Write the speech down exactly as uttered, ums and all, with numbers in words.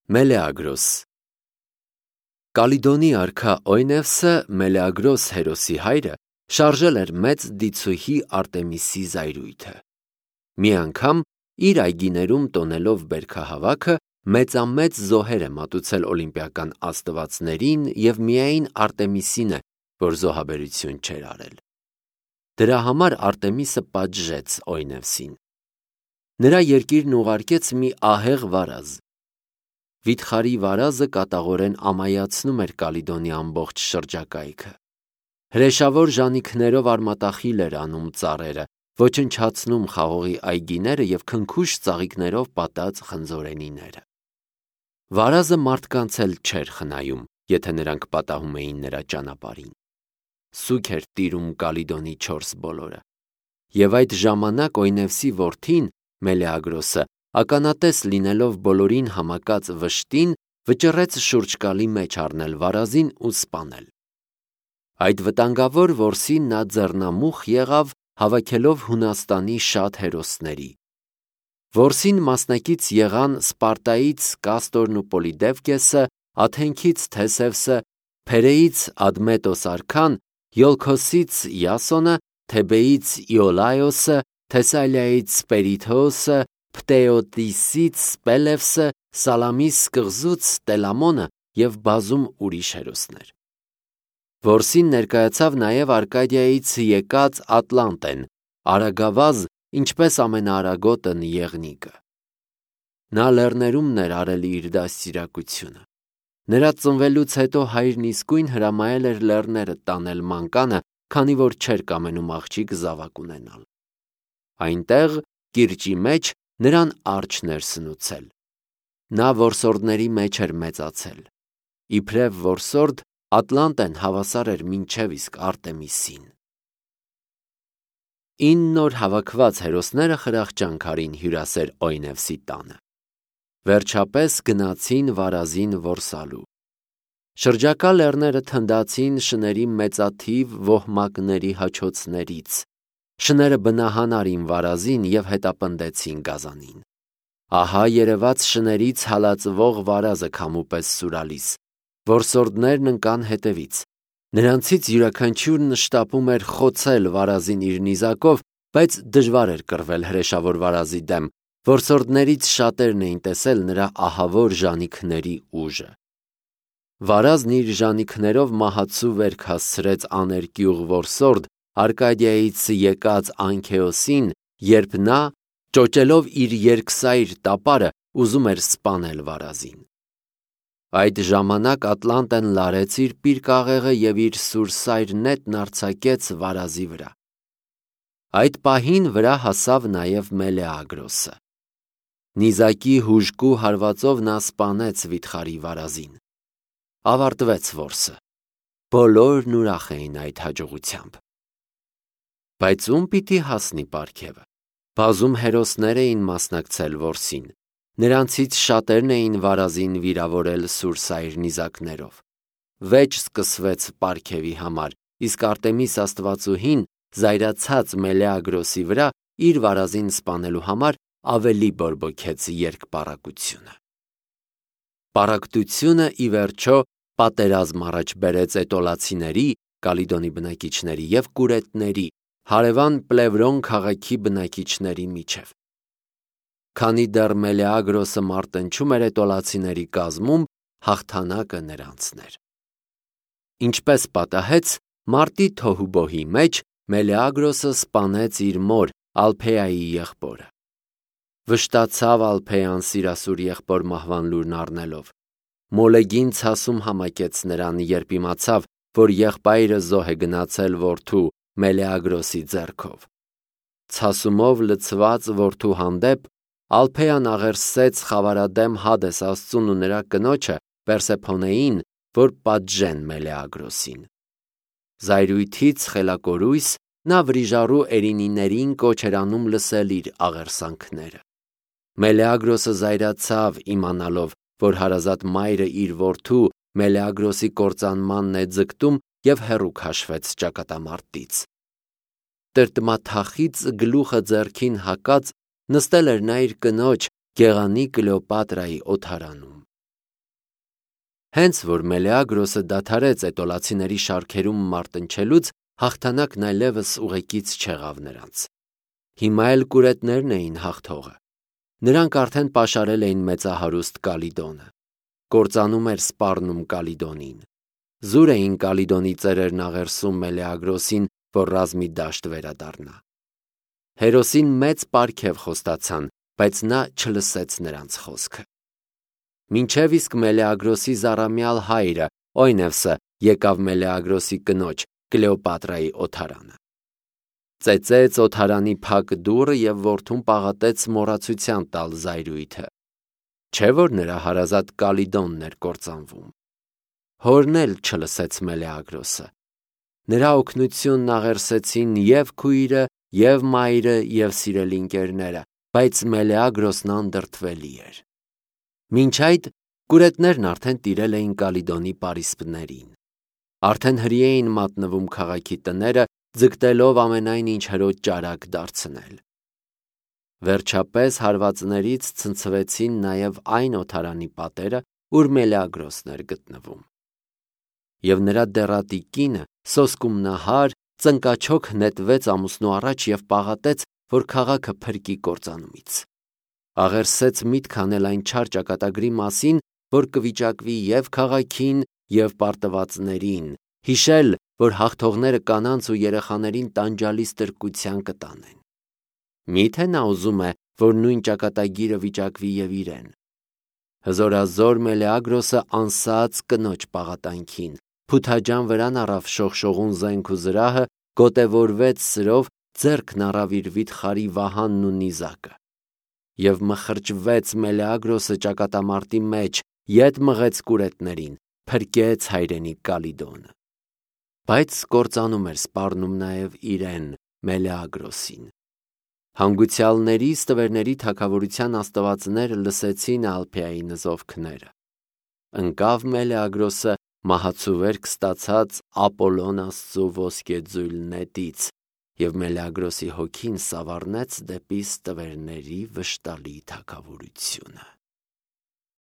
Մելեագրոս Կալիդոնի արքա Օյնևսը, Մելեագրոս հերոսի հայրը, շարժել էր մեծ դիցուհի Արտեմիսի զայրույթը։ Մի անգամ իր այգիներում տոնելով բերքահավաքը մեծամեծ զոհեր է մատուցել օլիմպիական աստվածներին և միայն Արտեմիսին է, որ զոհաբերություն չէր արել։ Դրա համար Արտեմիսը պատժեց Օյնևսին։ Նրա երկիրն ուղարկեց մի ահեղ վարազ։ Վիթխարի վարազը կատաղորեն ամայացնում էր Կալիդոնի ամբողջ շրջակայքը։ Հրեշավոր ժանիքներով արմատախիլ էր անում ծառերը, ոչնչացնում խաղողի այգիները և քնքուշ ծաղիկներով պատած խնձորենիները։ Վարազը մարդկանց էլ չէր խնայում, եթե նրանք պատահում էին նրա ճանապարհին։ Սուգ էր տիրում Կալիդոնի չորս բոլորը։ Եվ այդ ժամանակ Օյնևսի որդին Մելեագրոսը, ականատես լինելով բոլորին համակած վշտին, վճռեց շուրջկալի մեջ առնել վարազին ու սպանել։ Այդ վտանգավոր որսին նա ձեռնամուխ եղավ, հավաքելով Հունաստանի շատ հերոսների։ Որսին մասնակից եղան Սպարտայից Կաստորն ու Պոլիդևկեսը, Աթենքից Թեսևսը, Փերեից Ադմետոս արքան, Յոլքոսից Յասոնը, Թեբեից Իոլայոսը, Թեսալիայից Պերիթոոսը, Պտեոտիսից Պելևսը, Սալամիս կղզուց Տելամոնը և բազում ուրիշ հերոսներ։ Որսին ներկայացավ նաև Արկադիայից եկած Ատլանտեն, արագավազ, ինչպես ամենաարագոտն Եղնիկը։ Նա լեռներումն էր արել իր դաստիարակությունը։ Նրա ծնվելուց հետո հայրն իսկույն հրամայել էր լեռները տանել մանկանը, քանի որ չէր կամենում աղջիկ զավակ ունենալ։ Այնտեղ, կիրճի մեջ, նրան արջն էր սնուցել։ Նա որսորդների մեջ էր մեծացել։ Իբրև որսորդ, Ատլանտեն հավասար էր մինչև իսկ Արտեմիսին։ Ինն օր հավաքված հերոսները խրախճանք արին հյուրասեր Օյնևսի տանը։ Վերջապես գնացին վարազին որսալու։ Շրջակա լեռները թնդացին շների մեծաթիվ ոհմակների հաչոցներից։ Շները բնահան արին վարազին և հետապնդեցին գազանին։ Ահա երևաց շներից հալածվող վարազը քամու պես սուրալիս։ Որսորդներն ընկան հետևից։ Նրանցից յուրաքանչյուրն շտապում էր խոցել վարազին իր նիզակով, բայց դժվար էր կռվել հրեշավոր վարազի դեմ։ Որսորդներից շատերն էին տեսել նրա ահավոր ժանիքների ուժը։ Վարազն իր ժանիքներով մահացու վերք հասցրեց աներկյուղ որսորդ Արկադիայից եկած Անքեոսին, երբ նա, ճոճելով իր երկսայր տապարը, ուզում էր սպանել վարազին։ Այդ ժամանակ Ատլանտեն լարեց իր պիրկաղեղը և իր սուրսայր նետն արձակեց վարազի վրա։ Այդ պահին վրա հասավ նաև Մելեագրոսը։ Նիզակի հուժկու հարվածով նա սպանեց վիթխարի վարազին։ Ավարտվեց որսը։ Բոլորն ուրախ էին այդ հաջողությամբ։ Բայց ում պիտի հասնի պարգևը։ Բազում հերոսներ էին մասնակցել որսին։ Նրանցից շատերն էին վարազին վիրավորել սուրսայր նիզակներով։ Վեճ սկսվեց պարգևի համար, իսկ Արտեմիս աստվածուհին, զայրացած Մելեագրոսի վրա, իր վարազին սպանելու համար ավելի բորբոքեց երկպառակտությունը։ Պառակտությունը, ի վերջո, պատերազմ առաջ բերեց էտոլացիների, Կալիդոնի բնակիչների և կուրետների, հարևան Պլևրոն քաղաքի բնակիչների միջև։ Քանի դեռ Մելեագրոսը մարտնչում էր էտոլացիների կազմում, հաղթանակը նրանցն էր։ Ինչպես պատահեց, մարտի թոհուբոհի մեջ Մելեագրոսը սպանեց իր մոր Ալփեայի եղբորը։ Վշտացավ Ալփեան սիրասուր եղբոր մահվան լուրն առնելով։ Մոլեգին ցասում համակեց նրան, երբ իմացավ, որ եղբայրը զոհ է գնացել որդու Մելեագրոսի ձեռքով։ Ցասումով լցված որդու հանդեպ Ալփեան աղերսեց խավարադեմ Հադես աստծուն ու նրա կնոջը Պերսեփոնեին, որ պատժեն Մելեագրոսին։ Զայրույթից խելակորույս նա վրիժառու Էրինիներին կոչ էր անում լսել իր աղերսանքները։ Մելեագրոսը զայրացավ, իմանալով, որ հարազատ մայրը իր որդու Մելեագրոսի կործանմանն է ձգտում և հեռու քաշվեց ճակատամարտից։ Տրտմաթախիծ գլուխը ձեռքին հակած նստել էր նա իր կնոջ Գեղանի Կլեոպատրայի օդարանում։ Հենց որ Մելեագրոսը դադարեց էտոլացիների շարքերում մարտնչելուց, հաղթանակն այլևս ուղեկից չեղավ նրանց։ Հիմա էլ կուրետներն էին հաղթողը։ Նրանք արդեն պաշարել էին մեծահարուստ Կալիդոնը։ Կործանում էր սպառնում Կալիդոնին։ Զուր էին Կալիդոնի ծերերն աղերսում Մելեագրոսին, որ ռազմի դաշտ վերադառնա։ Հերոսին մեծ պարգև խոստացան, բայց նա չլսեց նրանց խոսքը։ Մինչև իսկ Մելեագրոսի զառամյալ հայրը Օյնևսը եկավ Մելեագրոսի կնոջ Կլեոպատրայի օթարանը։ Ծեծեց օթարանի փակ դուռը և որդուն պաղատեց մոռացության տալ զայրույթը։ Չէ՞ որ նրա հարազատ Կալիդոնն էր կործանվում։ Հորն էլ չլսեց Մելեագրոսը։ Նրա օգնությունն աղերսեցին և քույրը, և մայրը, և սիրելի ընկերները, բայց Մելեագրոսն անդրդվելի էր։ Մինչ այդ կուրետներն արդեն տիրել էին Կալիդոնի պարիսպներին։ Արդեն հրի էին մատնվում քաղաքի տները, ձգտելով ամենայն ինչ հրոջ ճարակ դարձնել։ Վերջապես հարվածներից ցնցվեցին նաև այն օթարանի պատերը, ուր Մելեագրոսն էր գտնվում։ Եվ նրա դեռատի կինը, սոսկումնահար, ծնկաչոք նետվեց ամուսնու առաջ և պաղատեց, որ քաղաքը փրկի կործանումից։ Աղերսեց միտք անել այն չար ճակատագրի մասին, որ կվիճակվի և քաղաքին, և պարտվածներին, հիշել, որ հաղթողները կանանց ու երեխաներին տանջալի ստրկության կտանեն։ Մի՞թե նա ուզում է, որ նույն ճակատագիրը վիճակվի և իրեն։ Հզորազոր Մելեագրոսը անսաց կնոջ պաղատանքին, փութաջան վրան առավ շողշողուն զենք ու զրահը, գոտևորվեց սրով, ձեռքն առավ իր վիթխարի վահանն ու նիզակը։ Եվ մխրճվեց Մելեագրոսը ճակատամարտի մեջ, ետ մղեց կուրետներին, փրկեց հայրենի Կալիդոնը։ Բայց կործանում էր սպառնում նաև իրեն, Մելեագրոսին։ Հանգուցյալների ստվերների թագավորության աստվածները լսեցին Ալփեայի նզովքները։ Ընկավ Մելեագրոսը մահացու վերք ստացած Ապոլոն աստծու ոսկեձույլ նետից, և Մելեագրոսի հոգին սավառնեց դեպի ստվերների վշտալի թագավորությունը։